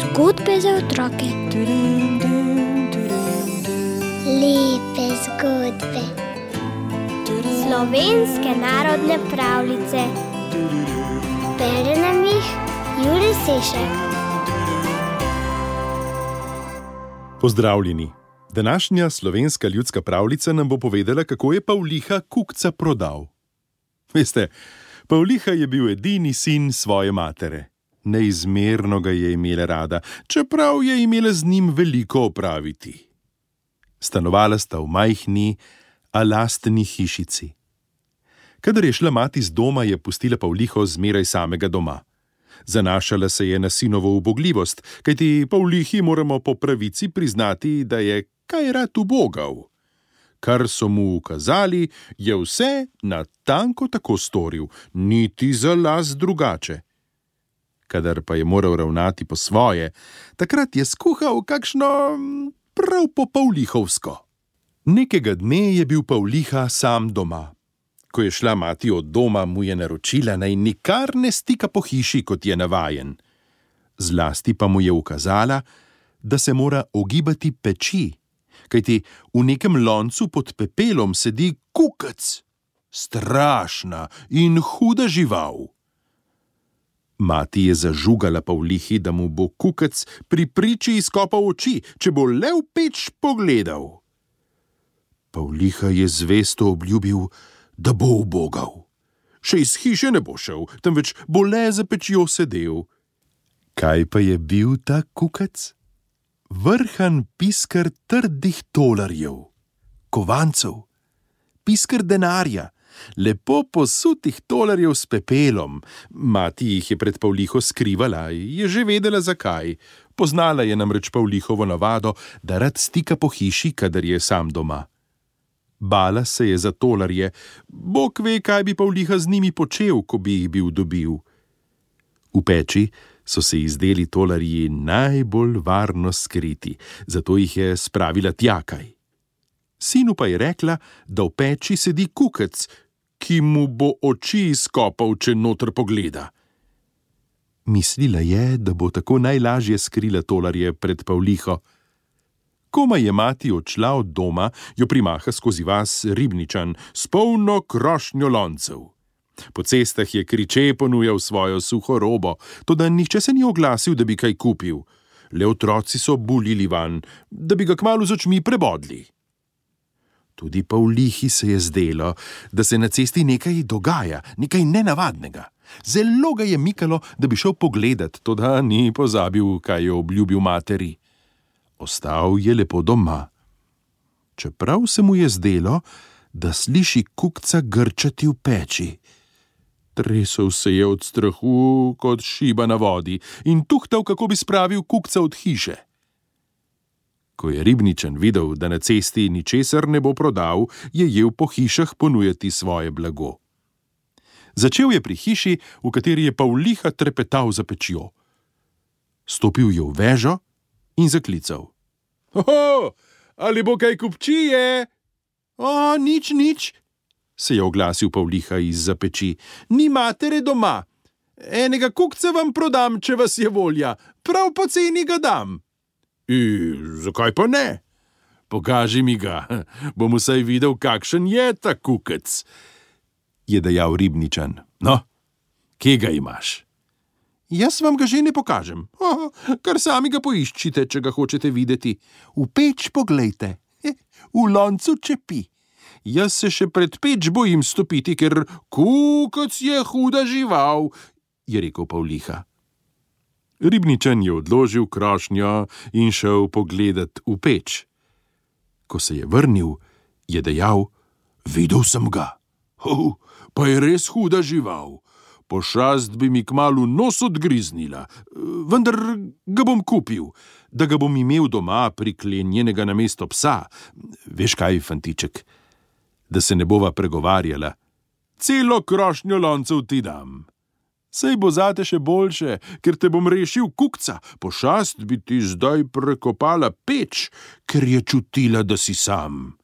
Zgodbe za otroke. Lepe zgodbe. Slovenske narodne pravljice. Bere nam jih Jure Sešek. Pozdravljeni! Današnja slovenska ljudska pravljica nam bo povedala, kako je Pavliha kukca prodal. Veste, Pavliha je bil edini sin svoje matere. Neizmerno ga je imela rada, čeprav je imela z njim veliko opraviti. Stanovala sta v majhni, a lastni hišici. Kadar je šla mati z doma, je pustila Pavliho zmeraj samega doma. Zanašala se je na sinovo ubogljivost, kajti Pavlihi moramo po pravici priznati, da je kaj rad ubogal. Kar so mu ukazali, je vse natanko tako storil, niti za las drugače. Kadar pa je moral ravnati po svoje, takrat je skuhal kakšno prav po pavlihovsko. Nekega dne je bil Pavliha sam doma. Ko je šla mati od doma, mu je naročila, naj nikar ne stika po hiši, kot je navajen. Zlasti pa mu je ukazala, da se mora ogibati peči, kajti v nekem loncu pod pepelom sedi kukec, strašna in huda žival. Mati je zažugala Pavlihi, da mu bo kukec pri priči izkopal oči, če bo le v peč pogledal. Pavliha je zvesto obljubil, da bo ubogal. Še iz hiše ne bo šel, temveč bo le za pečjo sedel. Kaj pa je bil ta kukec? Vrhan piskar trdih tolarjev, kovancev, piskar denarja, lepo posutih tolarjev s pepelom. Mati jih je pred Pavliho skrivala, je že vedela zakaj. Poznala je namreč Pavlihovo navado, da rad stika po hiši, kadar je sam doma. Bala se je za tolarje, Bog ve, kaj bi Pavliha z njimi počel, ko bi jih bil dobil. V peči so se izdeli tolarji najbolj varno skriti, zato jih je spravila tjakaj. Sinu pa je rekla, da v peči sedi kukec, ki mu bo oči izkopal, če noter pogleda. Mislila je, da bo tako najlažje skrila tolarje pred Pavliho. Komaj je mati odšla od doma, jo primaha skozi vas Ribničan s polno krošnjo loncev. Po cestah je kriče ponujal svojo suho robo, toda nihče se ni oglasil, da bi kaj kupil. Le otroci so buljili van, da bi ga kmalu z očmi prebodli. Tudi Pavlihi se je zdelo, da se na cesti nekaj dogaja, nekaj nenavadnega. Zelo ga je mikalo, da bi šel pogledat, toda ni pozabil, kaj je obljubil materi. Ostal je lepo doma. Čeprav se mu je zdelo, da sliši kukca grčati v peči. Tresel se je od strahu kot šiba na vodi in tuhtal, kako bi spravil kukca od hiše. Ko je Ribničan videl, da na cesti ničesar ne bo prodal, je jel po hišah ponujati svoje blago. Začel je pri hiši, v kateri je Pavliha trepetal za pečjo. Stopil je v vežo in zaklical. Oho, ali bo kaj kupčije? O, nič, se je oglasil Pavliha izza peči. Ni matere doma. Enega kukca vam prodam, če vas je volja. Prav poceni ga dam. Zakaj pa ne? Pokaži mi ga, bom vsaj videl, kakšen je ta kukec, je dejal Ribničan. No, kje ga imaš? Jaz vam ga že ne pokažem. Kar sami ga poiščite, če ga hočete videti. V peč poglejte, v loncu čepi. Jaz se še pred peč bojim stopiti, ker kukec je huda žival, je rekel Pavliha. Ribničan je odložil krošnjo in šel pogledat v peč. Ko se je vrnil, je dejal, videl sem ga. Pa je res huda žival. Pošast bi mi kmalu nos odgriznila, vendar ga bom kupil, da ga bom imel doma priklenjenega namesto psa. Veš kaj, fantiček, da se ne bova pregovarjala. Celo krošnjo loncev ti dam. Sej bo zate še boljše, ker te bom rešil kukca. Pošast bi ti zdaj prekopala peč, ker je čutila, da si sam.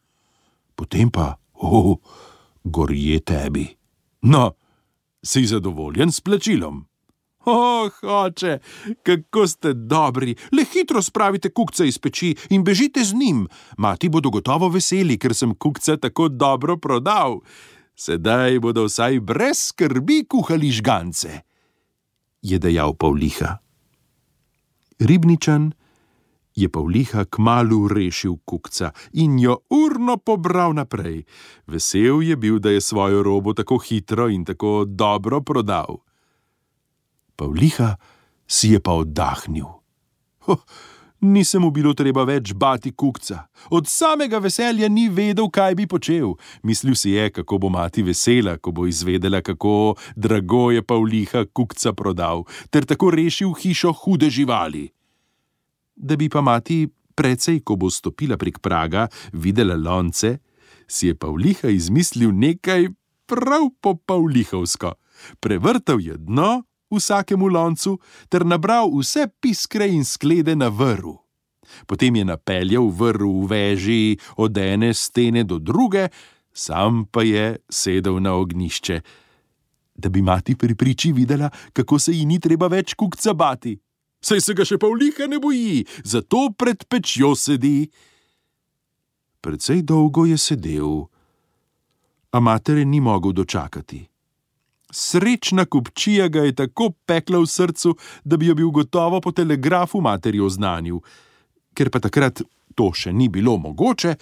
Potem pa, gorje tebi. No, Si zadovoljen s plačilom? Oče, kako ste dobri, le hitro spravite kukca iz peči in bežite z njim. Mati bodo gotovo veseli, ker sem kukca tako dobro prodal. Sedaj bodo vsaj brez skrbi kuhali žgance, je dejal Pavliha. Ribničan je Pavliha kmalu rešil kukca in jo urno pobral naprej. Vesel je bil, da je svojo robo tako hitro in tako dobro prodal. Pavliha si je pa oddahnil. Ni se mu bilo treba več bati kukca. Od samega veselja ni vedel, kaj bi počel. Mislil si je, kako bo mati vesela, ko bo izvedela, kako drago je Pavliha kukca prodal, ter tako rešil hišo hude živali. Da bi pa mati precej, ko bo stopila prek praga, videla lonce, si je Pavliha izmislil nekaj prav po pavlihovsko. Prevrtal je dno vsakemu loncu ter nabral vse piskre in sklede na vrv. Potem je napeljal vrv v veži od ene stene do druge, sam pa je sedel na ognjišče, da bi mati pri priči videla, kako se ji ni treba več kukca bati. Saj se ga še Pavliha ne boji, zato pred pečjo sedi. Precej dolgo je sedel, a matere ni mogel dočakati. Srečna kupčija ga je tako pekla v srcu, da bi jo bil gotovo po telegrafu materi oznanil. Ker pa takrat to še ni bilo mogoče,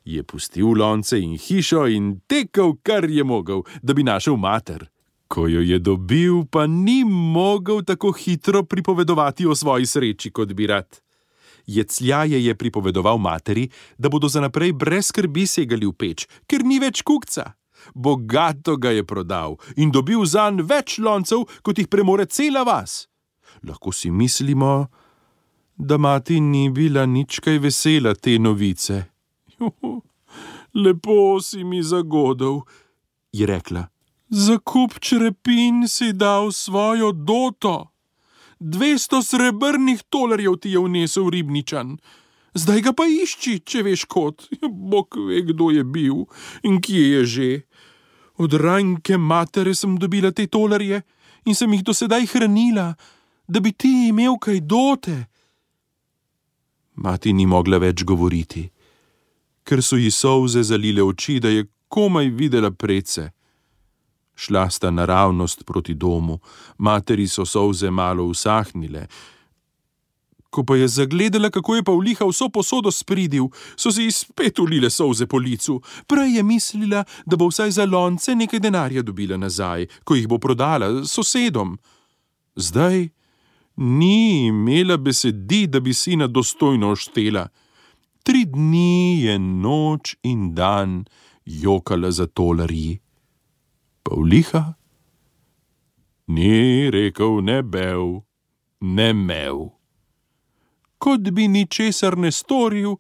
je pustil lonce in hišo in tekel, kar je mogel, da bi našel mater. Ko jo je dobil, pa ni mogel tako hitro pripovedovati o svoji sreči, kot bi rad. Jecljaje je pripovedoval materi, da bodo za naprej brez skrbi segali v peč, ker ni več kukca. Bogato ga je prodal in dobil zanj več loncev, kot jih premore cela vas. Lahko si mislimo, da mati ni bila nič kaj vesela te novice. Lepo si mi zagodel, je rekla. Za kup črepin si dal svojo doto. 200 srebrnih tolarjev ti je vnesel Ribničan. Zdaj ga pa išči, če veš kot. Bog ve, kdo je bil in kje je že. Od ranke matere sem dobila te tolarje in sem jih do sedaj hranila, da bi ti imel kaj dote. Mati ni mogla več govoriti, ker so ji solze zalile oči, da je komaj videla prece. Šla sta naravnost proti domu, materi so solze malo usahnile. Ko pa je zagledala, kako je Pavliha vso posodo spridil, so se ji spet ulile solze po licu. Prej je mislila, da bo vsaj za lonce nekaj denarja dobila nazaj, ko jih bo prodala sosedom. Zdaj ni imela besedi, da bi sina dostojno oštela. 3 dni je noč in dan jokala za tolarji. Pavliha ni rekel ne bev, ne mev. Kot bi ničesar ne storil,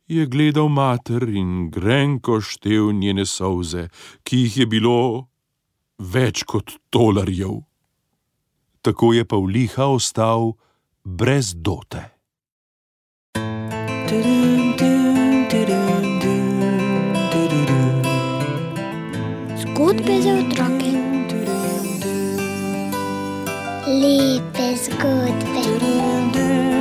je gledal mater in grenko štel njene solze, ki jih je bilo več kot tolarjev. Tako je Pavliha ostal brez dote. Zgodbe za otroke. Lepe zgodbe.